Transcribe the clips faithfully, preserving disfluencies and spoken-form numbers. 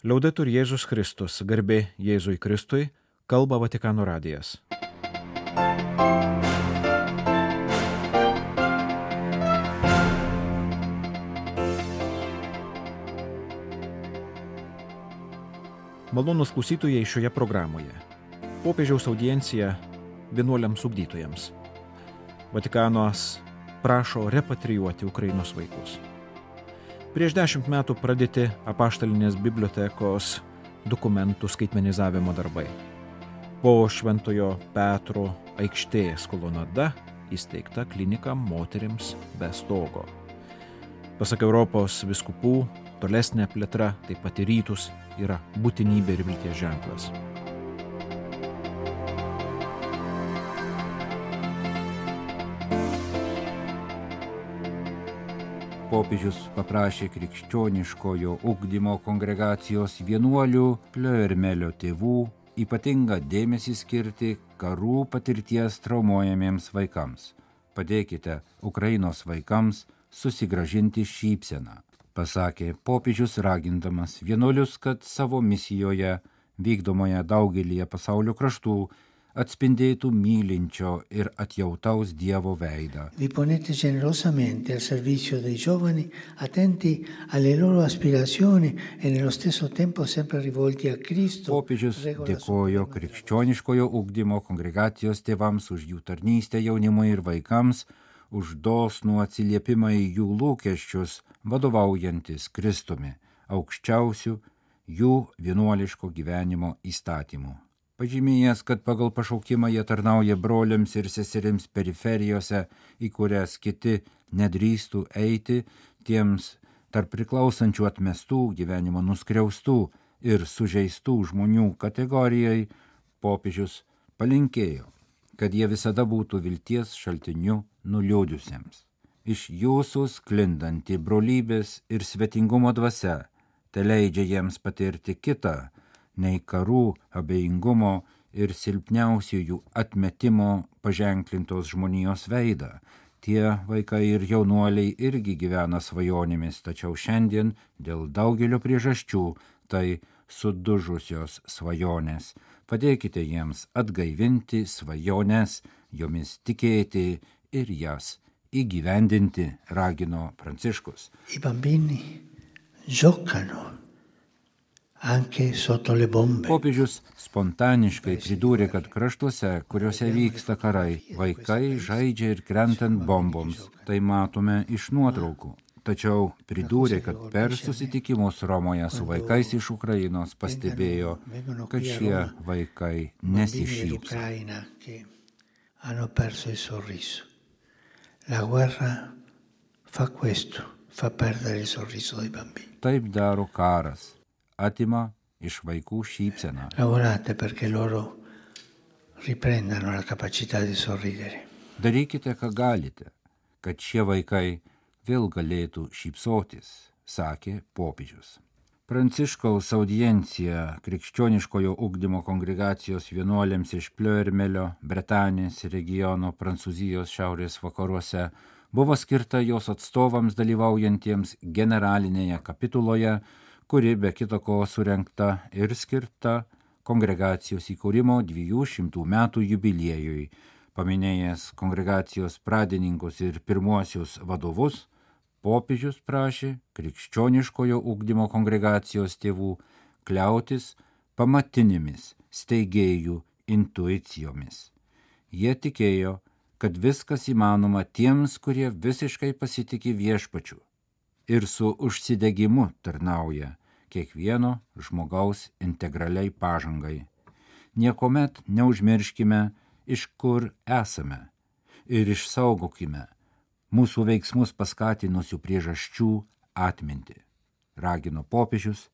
Liaudetur Jėzus Kristus, garbė Jėzui Kristui, kalba Vatikano radijas. Malonūs klausytojai šioje programoje. Popiežiaus audiencija vienuoliams ugdytojams. Vatikanas prašo repatrijuoti Ukrainos vaikus. Prieš dešimt metų pradėti apaštalinės bibliotekos dokumentų skaitmenizavimo darbai. Po Šventojo Petro aikštės kolonada įsteigta klinika moterims be stogo. Pasak Europos vyskupų, tolesnė plėtra, taip pat į rytus, yra būtinybė ir vilties ženklas. Popiežius paprašė krikščioniškojo ugdymo kongregacijos vienuolių Plioermelio tėvų ypatingą dėmesį skirti karų patirties traumuojamiems vaikams. Padėkite Ukrainos vaikams susigrąžinti šypseną, pasakė popiežius ragindamas vienuolius, kad savo misijoje vykdomoje daugelyje pasaulio kraštų atspindėtų mylinčio ir atjautaus Dievo veidą. Vi ponete generosamente al servizio dei giovani, attenti alle loro aspirazioni e nello stesso tempo sempre rivolti a Cristo. Popiežius dėkojo krikščioniškojo ugdymo kongregacijos tėvams už jų tarnystę jaunimui ir vaikams, už dosnų atsiliepimą į jų lūkesčius, vadovaujantis Kristumi, aukščiausių jų vienuoliško gyvenimo įstatymų. Pažymėjęs, kad pagal pašaukimą jie tarnauja broliams ir seserims periferijose, į kurias kiti nedrįstų eiti, tiems tarp priklausančių atmestų, gyvenimo nuskriaustų ir sužeistų žmonių kategorijai, popiežius palinkėjo, kad jie visada būtų vilties šaltiniu nuliūdusiems. Iš jūsų sklindanti brolybės ir svetingumo dvasia teleidžia jiems patirti kitą, nei karų, abejingumo ir silpniausiųjų atmetimo paženklintos žmonijos veidą. Tie vaikai ir jaunuoliai irgi gyvena svajonėmis, tačiau šiandien dėl daugelio priežasčių tai sudužusios svajonės. Padėkite jiems atgaivinti svajones, jomis tikėti ir jas įgyvendinti, ragino Pranciškus. I bambini giocano anche sotto le bombe. Popiežius spontaniškai pridūrė, kad kraštuose, kuriuose vyksta karai, vaikai žaidžia ir krentant bomboms. Tai matome iš nuotraukų. Tačiau pridūrė, kad per susitikimus Romoje su vaikais iš Ukrainos pastebėjo, kad šie vaikai nesišypso. Hanno perso il sorriso. La guerra fa questo, fa perdere il sorriso dei bambini. Taip daro karas. Atima iš vaikų šypseną. Lavorate perché loro riprendano la capacità di sorridere. Darykite, ką galite, kad šie vaikai vėl galėtų šypsotis, sakė popiežius. Pranciškaus audiencija krikščioniškojo ugdymo kongregacijos vienuoliams iš Plioermelio, Bretanės regiono Prancūzijos šiaurės vakaruose buvo skirta jos atstovams dalyvaujantiems generalinėje kapituloje, kuri be kita ko surengta ir skirta kongregacijos įkūrimo dviejų šimtų metų jubiliejui. Paminėjęs kongregacijos pradininkus ir pirmuosius vadovus, popiežius prašė krikščioniškojo ugdymo kongregacijos tėvų kliautis pamatinėmis steigėjų intuicijomis. Jie tikėjo, kad viskas įmanoma tiems, kurie visiškai pasitiki viešpačiu ir su užsidegimu tarnauja kiekvieno žmogaus integraliai pažangai. Niekuomet neužmirškime, iš kur esame ir išsaugokime mūsų veiksmus paskatinusių priežasčių atmintį, ragino popiežius,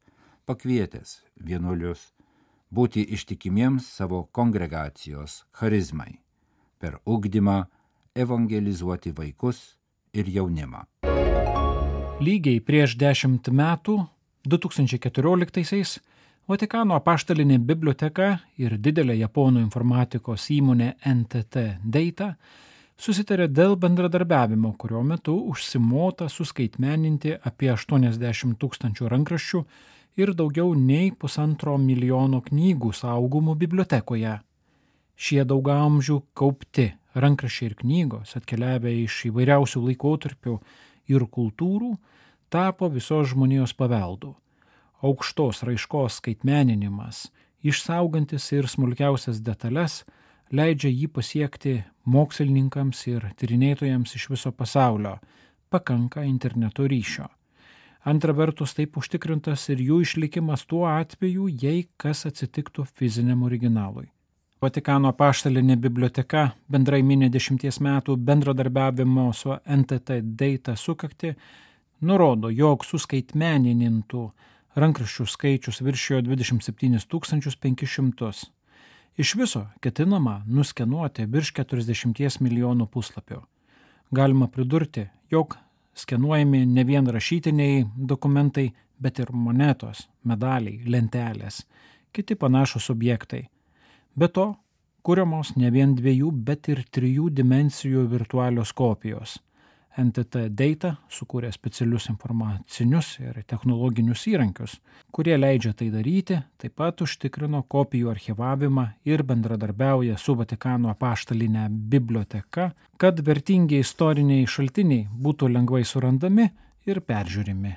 pakvietęs vienuolius būti ištikimiems savo kongregacijos charizmai, per ugdymą evangelizuoti vaikus ir jaunimą. Lygiai prieš dešimt metų, du tūkstančiai keturioliktaisiais, Vatikano apaštalinė biblioteka ir didelė japonų informatikos įmonė N T T Data susitarė dėl bendradarbiavimo, kurio metu užsimota suskaitmeninti apie aštuoniasdešimt tūkstančių rankraščių ir daugiau nei pusantro milijono knygų saugomų bibliotekoje. Šie daugamžių kaupti rankraščiai ir knygos, atkeliavę iš įvairiausių laikotarpių ir kultūrų, tapo visos žmonijos paveldu. Aukštos raiškos skaitmeninimas, išsaugantis ir smulkiausias detalės, leidžia jį pasiekti mokslininkams ir tyrinėtojams iš viso pasaulio, pakanka interneto ryšio. Antra vertus, taip užtikrintas ir jų išlikimas tuo atveju, jei kas atsitiktų fiziniam originalui. Vatikano apaštalinė biblioteka bendrai mini dešimties metų bendradarbiavimo su N T T Data sukaktį, nurodo, jog suskaitmeninintų rankraščių skaičius viršijo dvidešimt septynis tūkstančius penkis šimtus. Iš viso ketinama nuskenuoti virš keturiasdešimties milijonų puslapių. Galima pridurti, jog skenuojami ne vien rašytiniai dokumentai, bet ir monetos, medaliai, lentelės, kiti panašus objektai. Be to, kuriamos ne vien dviejų, bet ir trijų dimensijų virtualios kopijos. N T T Data sukūrė specialius informacinius ir technologinius įrankius, kurie leidžia tai daryti, taip pat užtikrino kopijų archyvavimą ir bendradarbiauja su Vatikano apaštaline biblioteka, kad vertingi istoriniai šaltiniai būtų lengvai surandami ir peržiūrimi.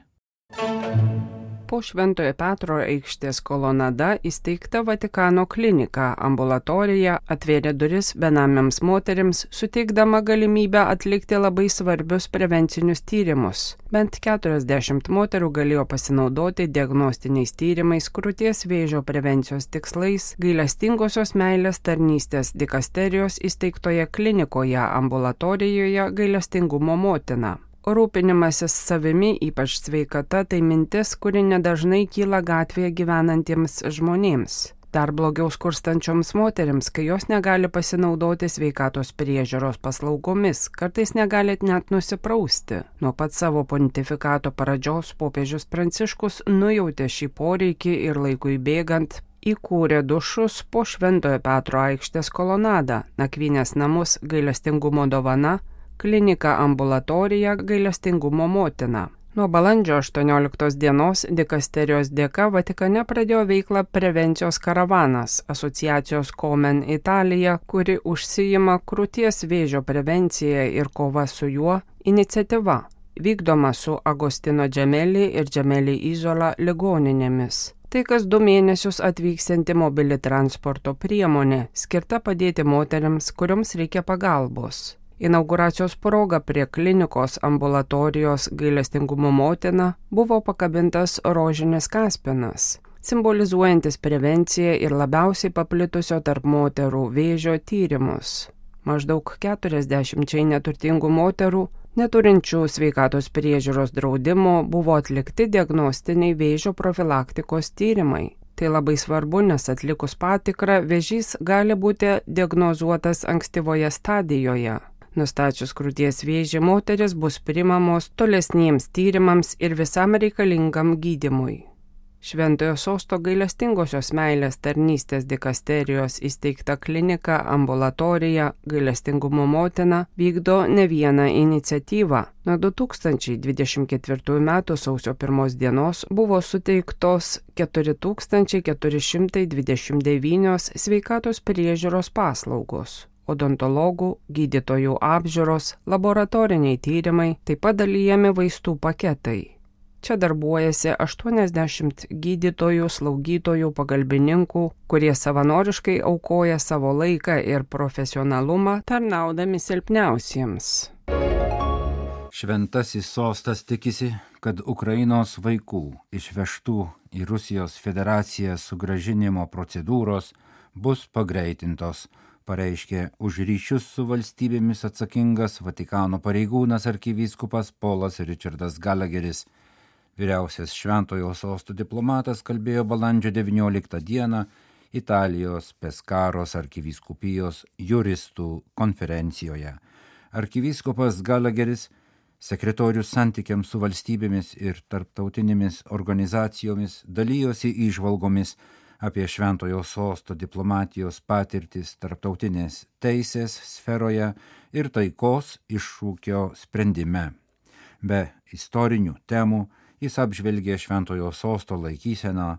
Po Šventojo Petro aikštės kolonada įsteigta Vatikano klinika ambulatorija atvėrė duris benamiams moterims, suteikdama galimybę atlikti labai svarbius prevencinius tyrimus. Bent keturiasdešimt moterų galėjo pasinaudoti diagnostiniais tyrimais krūties vėžio prevencijos tikslais gailestingosios meilės tarnystės dikasterijos įsteigtoje klinikoje ambulatorijoje Gailestingumo motina. Rūpinimasis savimi, ypač sveikata, tai mintis, kuri nedažnai kyla gatvėje gyvenantiems žmonėms. Dar blogiau skurstančioms moterims, kai jos negali pasinaudoti sveikatos priežiūros paslaugomis, kartais negali net nusiprausti. Nuo pat savo pontifikato pradžios popiežius Pranciškus nujautė šį poreikį ir laikui bėgant įkūrė dušus po Šventojo Petro aikštės kolonadą, nakvynės namus Gailestingumo dovana, klinika ambulatorija Gailestingumo motina. Nuo balandžio aštuonioliktos dienos dikasterijos dėka Vatikane pradėjo veiklą prevencijos karavanas, asociacijos Komen Italija, kuri užsijima krūties vėžio prevencija ir kova su juo iniciatyva, vykdoma su Agostino Gemelli ir Gemelli Isola ligoninėmis. Tai kas du mėnesius atvyksianti mobili transporto priemonė, skirta padėti moteriams, kurioms reikia pagalbos. Inauguracijos proga prie klinikos ambulatorijos Gailestingumo motina buvo pakabintas rožinis kaspinas, simbolizuojantis prevenciją ir labiausiai paplitusio tarp moterų vėžio tyrimus. Maždaug keturiasdešimčiai neturtingų moterų, neturinčių sveikatos priežiūros draudimo, buvo atlikti diagnostiniai vėžio profilaktikos tyrimai. Tai labai svarbu, nes atlikus patikrą vėžys gali būti diagnozuotas ankstyvoje stadijoje. Nustačius krūties vėžį, moteris bus priimamos tolesniems tyrimams ir visam reikalingam gydymui. Šventojo sosto gailestingosios meilės tarnystės dikasterijos įsteigta klinika ambulatorija Gailestingumo motina vykdo ne vieną iniciatyvą. Nuo du tūkstančiai dvidešimt ketvirtųjų metų sausio pirmos dienos buvo suteiktos keturi tūkstančiai keturi šimtai dvidešimt devynios sveikatos priežiūros paslaugos. Odontologų, gydytojų apžiūros, laboratoriniai tyrimai, taip pat dalijami vaistų paketai. Čia darbuojasi aštuoniasdešimt gydytojų, slaugytojų, pagalbininkų, kurie savanoriškai aukoja savo laiką ir profesionalumą, tarnaudami silpniausiems. Šventasis sostas tikisi, kad Ukrainos vaikų išvežtų į Rusijos federaciją sugrąžinimo procedūros bus pagreitintos, pareiškė už ryšius su valstybėmis atsakingas Vatikano pareigūnas arkivyskupas Polas Richardas Gallagheris. Vyriausias Šventojo sosto diplomatas kalbėjo balandžio devynioliktą dieną Italijos Peskaros arkivyskupijos juristų konferencijoje. Arkivyskupas Gallagheris, sekretorius santykiams su valstybėmis ir tarptautinėmis organizacijomis, dalyjosi įžvalgomis apie Šventojo sosto diplomatijos patirtis tarptautinės teisės sferoje ir taikos iššūkio sprendime. Be istorinių temų Jis apžvelgė Šventojo sosto laikyseną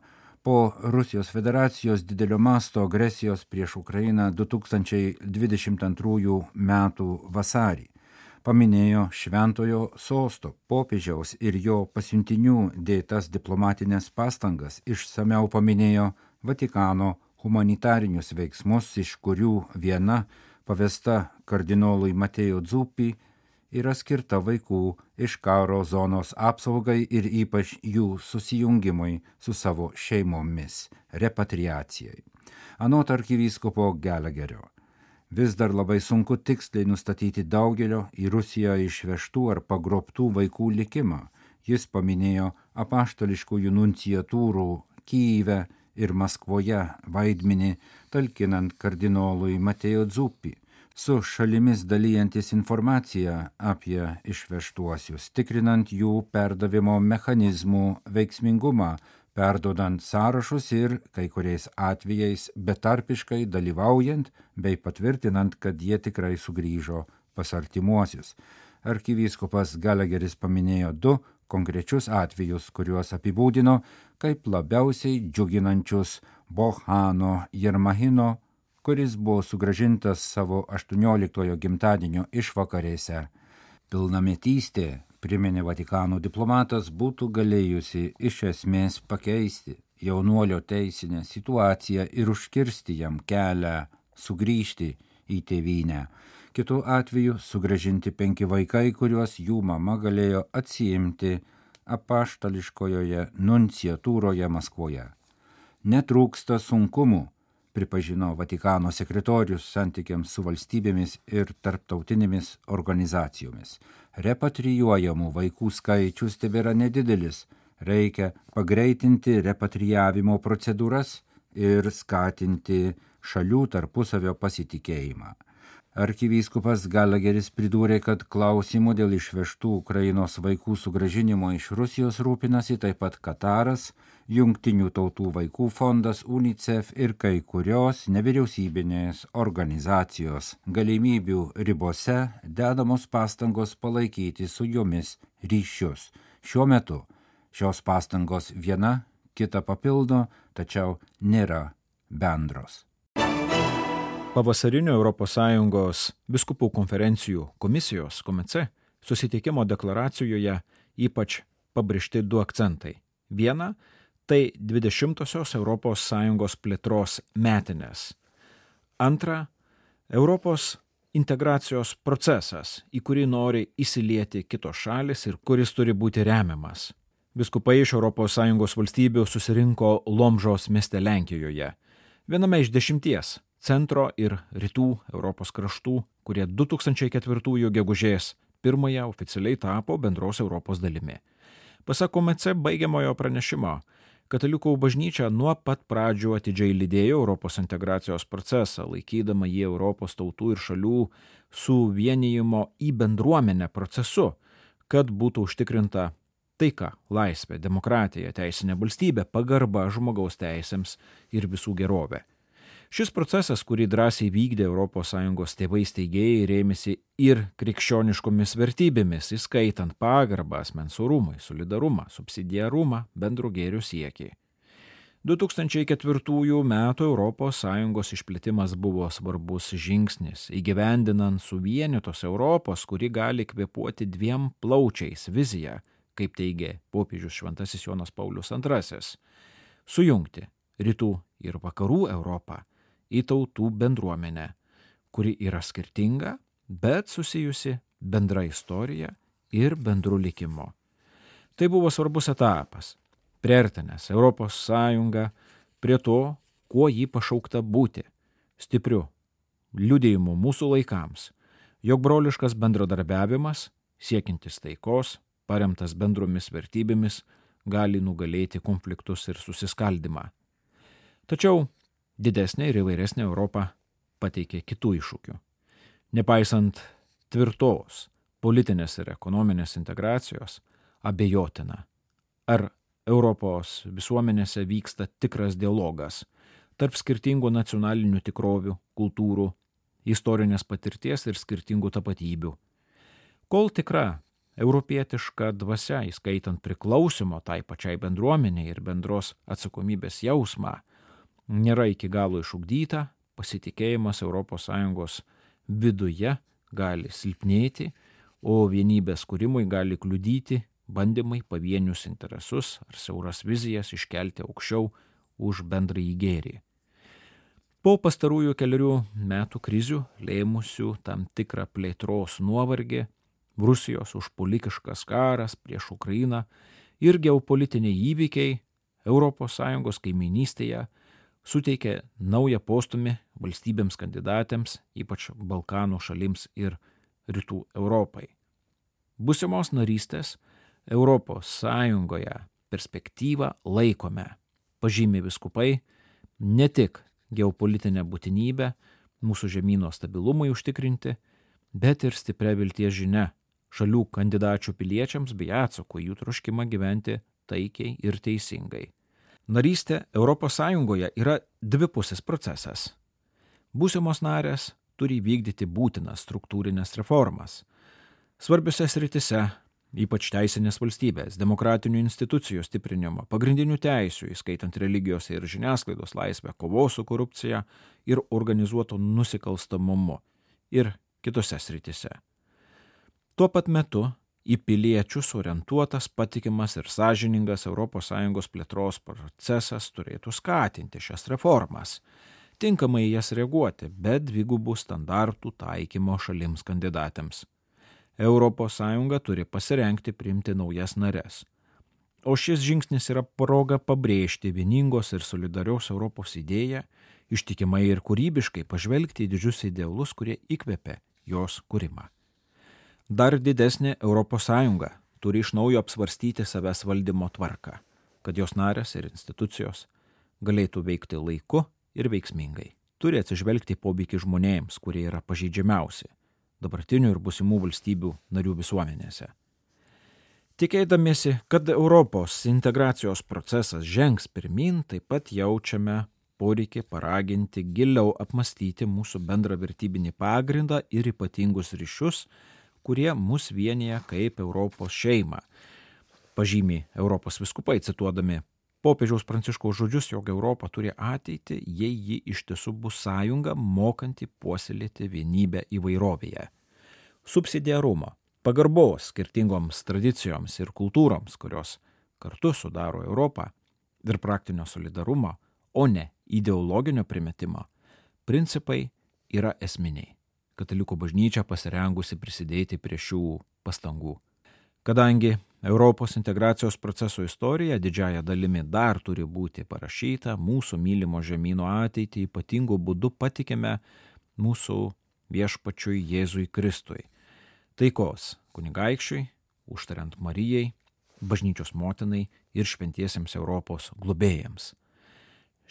po Rusijos federacijos didelio masto agresijos prieš Ukrainą du tūkstančiai dvidešimt antrųjų metų vasarį. Paminėjo Šventojo sosto, popiežiaus ir jo pasiuntinių dėtas diplomatinės pastangas, išsameu paminėjo Vatikano humanitarinius veiksmus, iš kurių viena pavesta kardinolui Mateo Zuppi yra skirta vaikų iš karo zonos apsaugai ir ypač jų susijungimui su savo šeimomis, repatriacijai. Anot arkivyskupo Gallagherio, vis dar labai sunku tiksliai nustatyti daugelio į Rusiją išvežtų ar pagrobtų vaikų likimą. Jis paminėjo apaštališkųjų nunciatūrų Kyjive ir Maskvoje vaidmenį, talkinant kardinolui Mateo Zuppi, su šalimis dalyjantis informaciją apie išvežtuosius, tikrinant jų perdavimo mechanizmų veiksmingumą, perdodant sąrašus ir kai kuriais atvejais betarpiškai dalyvaujant bei patvirtinant, kad jie tikrai sugrįžo pas artimuosius. Arkivyskupas Gallagheris paminėjo du konkrečius atvejus, kuriuos apibūdino kaip labiausiai džiuginančius Bohano Jermahino, kuris buvo sugrąžintas savo aštuonioliktojo gimtadienio išvakarėse. Pilnametystė, priminė Vatikano diplomatas, būtų galėjusi iš esmės pakeisti jaunuolio teisinę situaciją ir užkirsti jam kelią sugrįžti į tėvynę. Kitu atveju sugrąžinti penki vaikai, kuriuos jų mama galėjo atsiimti apaštališkojoje nunciatūroje Maskvoje. Netrūksta sunkumų, pripažino Vatikano sekretorius santykiams su valstybėmis ir tarptautinėmis organizacijomis. Repatrijuojamų vaikų skaičius tebėra nedidelis. Reikia pagreitinti repatrijavimo procedūras ir skatinti šalių tarpusavio pasitikėjimą. Arkivyskupas Gallagheris pridūrė, kad klausimų dėl išvežtų Ukrainos vaikų sugrąžinimo iš Rusijos rūpinasi taip pat Kataras, Jungtinių tautų vaikų fondas, UNICEF ir kai kurios nevyriausybinės organizacijos. Galimybių ribose dedamos pastangos palaikyti su jomis ryšius. Šiuo metu šios pastangos viena kitą papildo, tačiau nėra bendros. Pavasarinio Europos Sąjungos biskupų konferencijų komisijos komece susitikimo deklaracijoje ypač pabrėžti du akcentai. Viena – tai dvidešimtosios Europos Sąjungos plėtros metinės. Antra – Europos integracijos procesas, į kurį nori įsilieti kitos šalis ir kuris turi būti remiamas. Biskupai iš Europos Sąjungos valstybių susirinko Lomžos mieste Lenkijoje, viename iš dešimties centro ir rytų Europos kraštų, kurie du tūkstančiai ketvirtųjų gegužės pirmąją oficialiai tapo bendros Europos dalimi. Pasak komece baigiamojo pranešimo, Katalikų bažnyčia nuo pat pradžių atidžiai lydėjo Europos integracijos procesą, laikydama jį Europos tautų ir šalių suvienijimo į bendruomenę procesu, kad būtų užtikrinta taika, laisvė, demokratija, teisinė valstybė, pagarba žmogaus teisėms ir visų gerovė. Šis procesas, kurį drąsiai vykdė Europos Sąjungos tėvai steigėjai, rėmėsi ir krikščioniškomis vertybėmis, įskaitant pagarbą asmens orumui, solidarumą, subsidiarumą, bendro gėrio siekį. du tūkstančiai ketvirtųjų metų Europos Sąjungos išplėtimas buvo svarbus žingsnis, įgyvendinant suvienytos Europos, kuri gali kvėpuoti dviem plaučiais viziją, kaip teigė popiežius Šventasis Jonas Paulius antrasis, sujungti rytų ir vakarų Europą į tautų bendruomenę, kuri yra skirtinga, bet susijusi bendra istorija ir bendru likimu. Tai buvo svarbus etapas, priartinęs Europos Sąjungą prie to, kuo jį pašaukta būti, stipriu liudijimu mūsų laikams, jog broliškas bendradarbiavimas, siekintis taikos, paremtas bendromis vertybėmis, gali nugalėti konfliktus ir susiskaldimą. Tačiau didesnė ir įvairesnė Europa pateikė kitų iššūkių. Nepaisant tvirtos politinės ir ekonominės integracijos, abejotina, ar Europos visuomenėse vyksta tikras dialogas tarp skirtingų nacionalinių tikrovių, kultūrų, istorinės patirties ir skirtingų tapatybių. Kol tikra europietiška dvasia, įskaitant priklausimo tai pačiai bendruomeniai ir bendros atsakomybės jausmą, nėra iki galo išugdyta, pasitikėjimas Europos Sąjungos viduje gali silpnėti, o vienybės kūrimui gali kliudyti bandymai pavienius interesus ar siauras vizijas iškelti aukščiau už bendrąjį gėrį. Po pastarųjų keliarių metų krizių, lėmusių tam tikrą plėtros nuovargį, Rusijos užpuolikiškas karas prieš Ukrainą ir geopolitiniai įvykiai Europos Sąjungos kaimynystėje suteikė naują postumį valstybėms kandidatėms, ypač Balkanų šalims ir Rytų Europai. Būsimos narystės Europos Sąjungoje perspektyvą laikome, pažymi vyskupai, ne tik geopolitinę būtinybę mūsų žemyno stabilumui užtikrinti, bet ir stipria vilties žinia šalių kandidačių piliečiams bei atsako jų troškimą gyventi taikiai ir teisingai. Narystė Europos Sąjungoje yra dvipusis procesas. Būsimos narės turi vykdyti būtinas struktūrinės reformas. Svarbiose sritise, ypač teisinės valstybės, demokratinių institucijų stiprinimo, pagrindinių teisių, įskaitant religijos ir žiniasklaidos laisvę, kovos su korupcija ir organizuotu nusikalstamumu ir kitose sritise. Tuo pat metu į piliečius orientuotas, patikimas ir sąžiningas Europos Sąjungos plėtros procesas turėtų skatinti šias reformas, tinkamai jas reaguoti, be dvigubų standartų taikymo šalims kandidatėms. Europos Sąjunga turi pasirengti priimti naujas nares. O šis žingsnis yra proga pabrėžti vieningos ir solidarios Europos idėją, ištikimai ir kūrybiškai pažvelgti į didžius idealus, kurie įkvėpė jos kūrimą. Dar didesnė Europos Sąjunga turi iš naujo apsvarstyti savęs valdymo tvarką, kad jos narės ir institucijos galėtų veikti laiku ir veiksmingai. Turi atsižvelgti poveikį žmonėms, kurie yra pažeidžiamiausi dabartinių ir būsimų valstybių narių visuomenėse. Tikėdamiesi, kad Europos integracijos procesas žengs pirmyn, taip pat jaučiame poreikį paraginti giliau apmastyti mūsų bendrą vertybinį pagrindą ir ypatingus ryšius, kurie mus vienyje kaip Europos šeimą. Pažymi Europos vyskupai, cituodami popiežiaus Pranciškaus žodžius, jog Europa turi ateitį, jei ji iš tiesų bus sąjunga, mokanti puoselėti vienybę įvairovėje. Subsidiarumo, pagarbos skirtingoms tradicijoms ir kultūroms, kurios kartu sudaro Europą, ir praktinio solidarumo, o ne ideologinio primetimo, principai yra esminiai. Katalikų bažnyčia pasirengusi prisidėti prie šių pastangų. Kadangi Europos integracijos proceso istorija didžiaja dalimi dar turi būti parašyta, mūsų mylimo žemyno ateitį ypatingų būdų patikime mūsų viešpačiui Jėzui Kristui, taikos kunigaikščiui, užtariant Marijai, bažnyčios motinai ir šventiesiems Europos globėjams.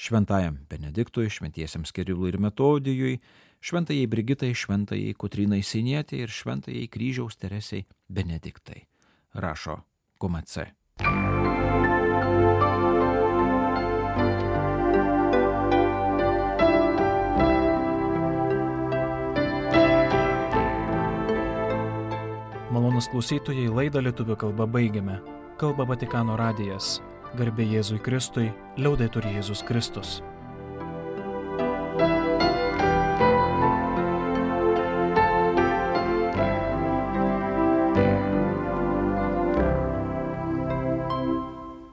Šventajam Benediktui, šventiesiems Kirilui ir Metodijui, šventajai Brigitai, šventajai Kotrynai Sienietei ir šventajai Kryžiaus Teresei Benediktai, rašo K M C. Malonus klausytojai, laidą lietuvių kalba baigiame. Kalba Vatikano radijas. Garbė Jėzui Kristui, liaudetur Jėzus Kristus.